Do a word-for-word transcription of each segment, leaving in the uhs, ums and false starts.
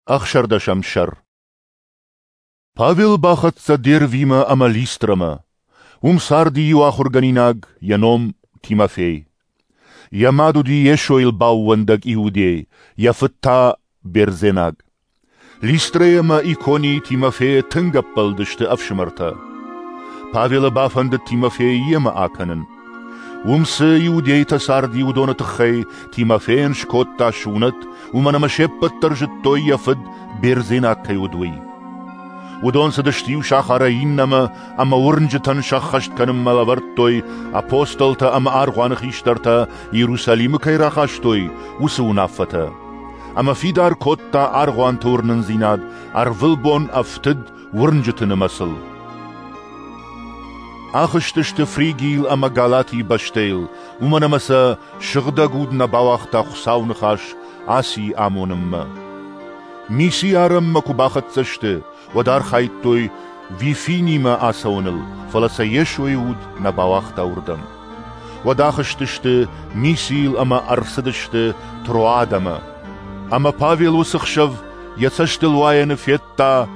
Ӕхсӕрдӕсӕм сӕр. Павел бахӕццӕ Дервимӕ ӕмӕ Листрӕмӕ. Уым царди иу ахуыргӕнинаг, йӕ ном Тимофей. Йӕ мад уыди Йесойыл баууӕндӕг иудей, йӕ фыд та бердзенаг. Листрӕйы ӕмӕ Иконийы Тимофейӕ тынг ӕппӕлыдысты ӕфсымӕртӕ. Павелы бафӕндыд Тимофейы йемӕ акӕнын. Уым цы иудейтӕ царди, уыдоны тыххӕй Тимофейӕн скодта сунӕт, уымӕн ӕмӕ се ппӕт дӕр зыдтой, йӕ фыд бердзенаг кӕй уыд, уый. Уыдон цыдысты иу сахарӕй иннӕмӕ ӕмӕ уырнджытӕн сӕххӕст кӕнынмӕ лӕвӕрдтой апостолтӕ ӕмӕ аргъуаны хистӕртӕ Иерусалимы кӕй рахастой, уыцы уынаффӕтӕ. Ӕмӕ фидар кодта аргъуанты уырнындзинад, ӕрвылбон ӕфтыд уырнджыты нымӕцыл. Ахызтысты Фригийыл ӕмӕ Галатийы бӕстӕйыл, уымӕн ӕмӕ сӕ Сыгъдӕг Уд нӕ бауагъта Хуыцауы ныхас Асийы амонынмӕ. Мисийы арӕнмӕ куы бахӕццӕ сты, уӕд архайдтой Вифинимӕ ацӕуыныл, фӕлӕ сӕ Йесойы Уд нӕ бауагъта уырдӕм. Уӕд ахызтысты Мисийыл ӕмӕ ӕрцыдысты Троадӕмӕ. Ӕмӕ Павел уыцы хсӕв йӕ цӕстылуайӕны федта,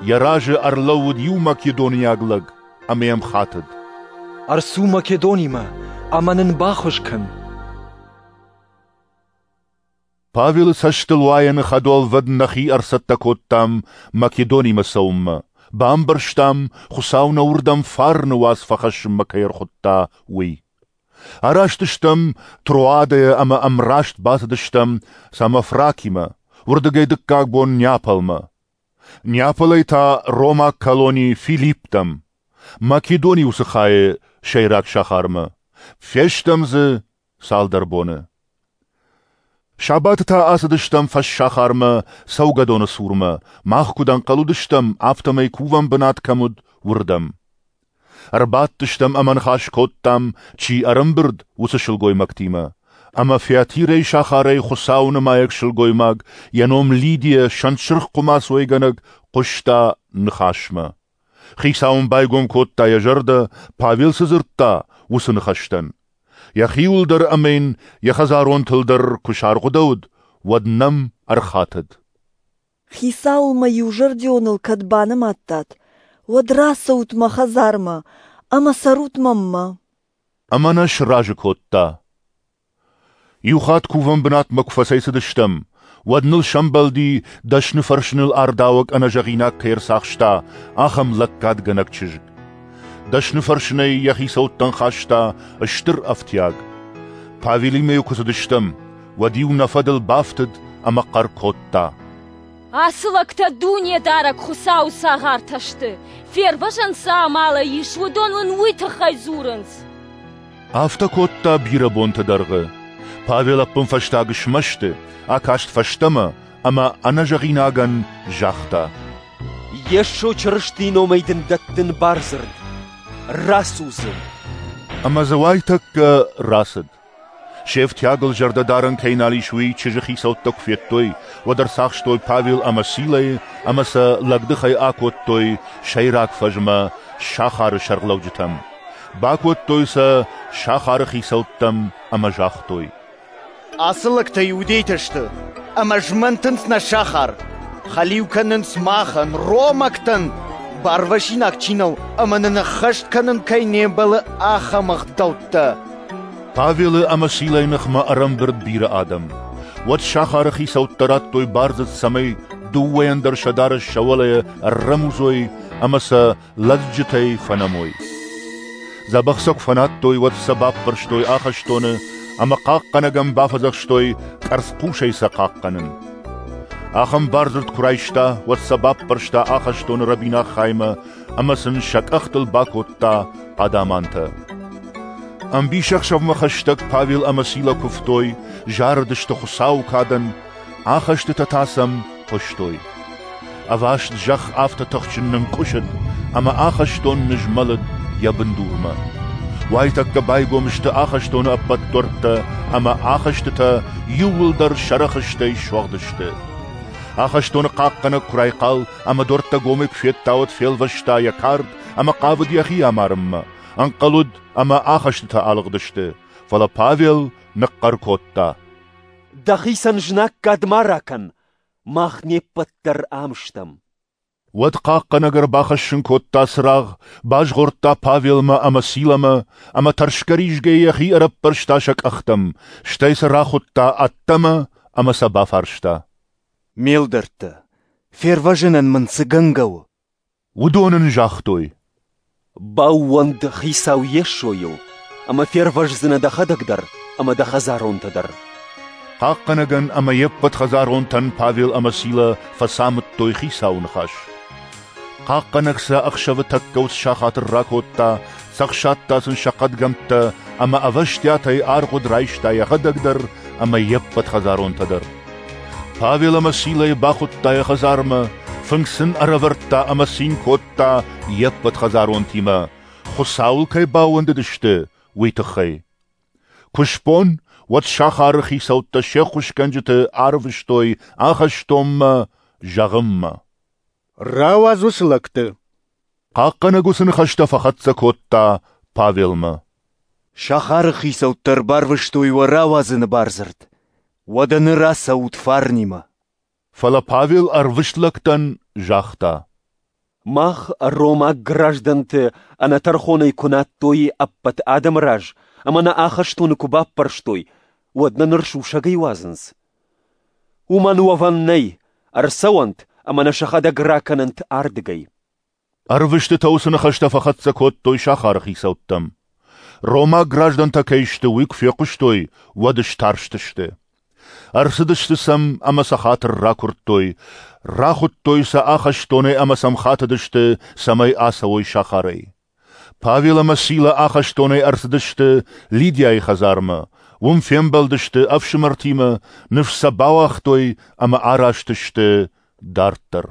йӕ разы ӕрлӕууыд иу македониаг лӕг ӕмӕ йӕм хатыд: Ӕрцу Македонимӕ ӕмӕ нын баххуыс кӕн. Павелы цӕстылуайӕны хӕдуӕлвӕд нӕхи ӕрцӕттӕ кодтам Македонимӕ цӕуынмӕ, бамбӕрстам, Хуыцау нӕ уырдӕм фарны уац фӕхӕссынмӕ кӕй ӕрхуыдта, уый. Араст стӕм Троадӕйӕ ӕмӕ ӕмраст бацыдыстӕм Самофракимӕ, уырдыгӕй дыккаг бон Неаполмӕ. Неаполӕй та ромаг колони Филипптӕм, Македонийы уыцы хайы сӕйраг сахармӕ. Фестӕм дзы цалдӕр боны. Сабаты та ацыдыстӕм фӕссахармӕ, цӕугӕдоны цурмӕ, мах куыд ӕнхъӕл уыдыстӕм, афтӕмӕй кувӕн бынат кӕм уыд, уырдӕм. Ӕрбадтыстӕм ӕмӕ ныхас кодтам, чи ӕрӕмбырд, уыцы сылгоймӕгтимӕ. Ӕмӕ Фиатирӕйы сахарӕй Хуыцауы нымайӕг сылгоймаг, йӕ ном Лидия, сӕнтсырх хъуымац уӕйгӕнӕг, хъуыста ныхасмӕ. Хицау ын байгом кодта йӕ зӕрдӕ, Павел цы дзырдта, уыцы ныхӕстӕн. Йӕхиуыл дӕр ӕмӕ йын йӕ хӕдзаронтыл дӕр куы саргъуыдӕуыд, уӕд нӕм ӕрхатыд: Хицауыл мӕ иузӕрдионыл кӕд банымадтат, уӕд рацӕут мӕ хӕдзармӕ ӕмӕ цӕрут мӕнмӕ. Ӕмӕ нӕ сразы кодта. Иу хатт кувӕн бынатмӕ куы фӕцӕйцыдыстӕм, уӕд ныл сӕмбӕлди, дӕсны фӕрсыныл ардауӕг ӕнӕзӕгъинаг кӕй ӕрцахста, ахӕм лӕггадгӕнӕг чызг. Дӕсны фӕрсынӕй йӕ хицӕуттӕн хаста стыр ӕфтиаг. Павелимӕ-иу куы цыдыстӕм, уӕд-иу нӕ фӕдыл бафтыд ӕмӕ хъӕр кодта: Ацы лӕгтӕ Дунедарӕг Хуыцауы цагъартӕ сты, фервӕзӕн цы амалӕй ис, уыдон уын уый тыххӕй дзурынц. Афтӕ кодта бирӕ бонты дӕргъы. Павел ӕппынфӕстаг смӕсты, акаст фӕстӕмӕ ӕмӕ ӕнӕзӕгъинагӕн загъта: Йесо Чырыстийы номӕй дын дӕттын бардзырд, рацу дзы. Ӕмӕ дзы уайтӕккӕ рацыд. Се фтиагыл зӕрдӕ дарӕн кӕй нал ис, уый чызджы хицӕуттӕ куы федтой, уӕд ӕрцахстой Павел ӕмӕ Силӕйы ӕмӕ сӕ лӕгдыхӕй акодтой сӕйраг фӕзмӕ, сахары сӕргълӕуджытӕм. Бакодтой сӕ сахары хицӕуттӕм ӕмӕ загътой: Ацы лӕгтӕ иудейтӕ сты ӕмӕ змӕнтынц нӕ сахар, хӕлиу кӕнынц махӕн, ромӕгтӕн, барвӕсинаг чи нӕу ӕмӕ нын ӕххӕст кӕнын кӕй не мбӕлы, ахӕм ӕгъдӕуттӕ. Павелы ӕмӕ Силӕйы ныхмӕ ӕрӕмбырд бирӕ адӕм. Уӕд сахары хицӕуттӕ радтой бардзырд, цӕмӕй дыууӕйӕн дӕр сӕ дарӕс сӕ уӕлӕ ӕррӕмудзой ӕмӕ сӕ лӕдзджытӕй фӕнӕмой. Дзӕбӕх сӕ куы фӕнадтой, уӕд сӕ баппӕрстой ахӕстоны ӕмӕ хъахъхъӕнӕгӕн бафӕдзӕхстой къӕрцхъусӕй сӕ хъахъхъӕнын. Ахӕм бардзырд куы райста, уӕд сӕ баппӕрста ахӕстоны рӕбинаг хаймӕ ӕмӕ сын сӕ къӕхтыл бакодта хъадамантӕ. Ӕмбисӕхсӕвмӕ хӕстӕг Павел ӕмӕ Сила куывтой, зарыдысты Хуыцауы кадӕн, ахӕстытӕ та сӕм хъуыстой. Ӕваст зӕхх афтӕ тыхджын нынкъуысыд, ӕмӕ ахӕстон нызмӕлыд йӕ бындурмӕ. Уайтӕккӕ байгом сты ахӕстоны ӕппӕт дуӕрттӕ ӕмӕ ахӕстытӕ иууылдӕр сӕ рӕхыстӕй суӕгъд сты. Ахӕстоны хъахъхъӕнӕг куы райхъал ӕмӕ дуӕрттӕ гомӕй куы федта, уӕд фелвӕста йӕ кард ӕмӕ хъавыд йӕхи амарынмӕ. Ӕнхъӕл уыд, ӕмӕ ахӕстытӕ алыгъдысты, фӕлӕ Павел ныхъхъӕр кодта: Дӕхицӕн знаггад ма ракӕн, Мах не ппӕт дӕр ам стӕм. Уӕд хъахъхъӕнӕг ӕрбахӕссын кодта цырагъ, базгъордта Павелмӕ ӕмӕ Силӕмӕ, ӕмӕ тӕрсгӕ-ризгӕйӕ йӕхи ӕрӕппӕрста сӕ къӕхтӕм, стӕй сӕ рахуыдта ӕддӕмӕ ӕмӕ сӕ бафарста: Ме лдӕрттӕ, фервӕзынӕн мын цы гӕнгӕ у? Уыдон ын загътой: Баууӕнд Хицау Йесойыл, ӕмӕ фервӕздзынӕ дӕхӕдӕг дӕр ӕмӕ дӕ хӕдзаронтӕ дӕр. Хъахъхъӕнӕгӕн ӕмӕ йе ппӕт хӕдзаронтӕн Павел ӕмӕ Силӕ фӕцамыдтой Хицауы ныхас. Хъахъхъӕнӕг сӕ ӕхсӕвы тӕккӕ уыцы сахатыл ракодта, цӕхсадта сын сӕ хъӕдгӕмттӕ ӕмӕ ӕвӕстиатӕй аргъуыд райста йӕхӕдӕг дӕр ӕмӕ йе ппӕт хӕдзаронтӕ дӕр. Павел ӕмӕ Силӕйы бахуыдта йӕ хӕдзармӕ, фынг сын ӕрӕвӕрдта ӕмӕ цин кодта йе ппӕт хӕдзаронтимӕ, Хуыцауыл кӕй баууӕндыдысты, уый тыххӕй. Куы сбон, уӕд сахары хицӕуттӕ се ххуысгӕнджыты арвыстой ахӕстонмӕ зӕгъынмӕ: Рауадз уыцы лӕгты. Хъахъхъӕнӕг уыцы ныхӕстӕ фӕхӕццӕ кодта Павелмӕ. Сахары хицӕуттӕ ӕрбарвыстой уӕ рауадзыны бардзырд. Уӕдӕ ныр ацӕут фарнимӕ. Фӕлӕ Павел ӕрвыст лӕгтӕн загъта: Мах, ромаг граждӕнты, ӕнӕтӕрхонӕй куы надтой ӕппӕт адӕмы раз ӕмӕ нӕ ахӕстоны куы баппӕрстой, уӕд нӕ ныр сусӕгӕй уадзынц? Уымӕн уӕвӕн нӕй, ӕрцӕуӕнт ӕмӕ нӕ сӕхӕдӕг ракӕнӕнт ардыгӕй. Ӕрвыстытӕ уыцы ныхӕстӕ фӕхӕццӕ кодтой сахары хицӕуттӕм. Ромаг граждӕнтӕ кӕй сты, уый куы фехъуыстой, уӕд старстысты. Ӕрцыдысты сӕм ӕмӕ сӕ хатыр ракуырдтой, рахуыдтой сӕ ахӕстонӕй ӕмӕ сӕм хатыдысты, цӕмӕй ацӕуой сахарӕй. Павел ӕмӕ Сила ахӕстонӕй ӕрцыдысты Лидиайы хӕдзармӕ, уым фембӕлдысты ӕфсымӕртимӕ, ныфс сӕ бауагътой ӕмӕ араст сты дарддӕр.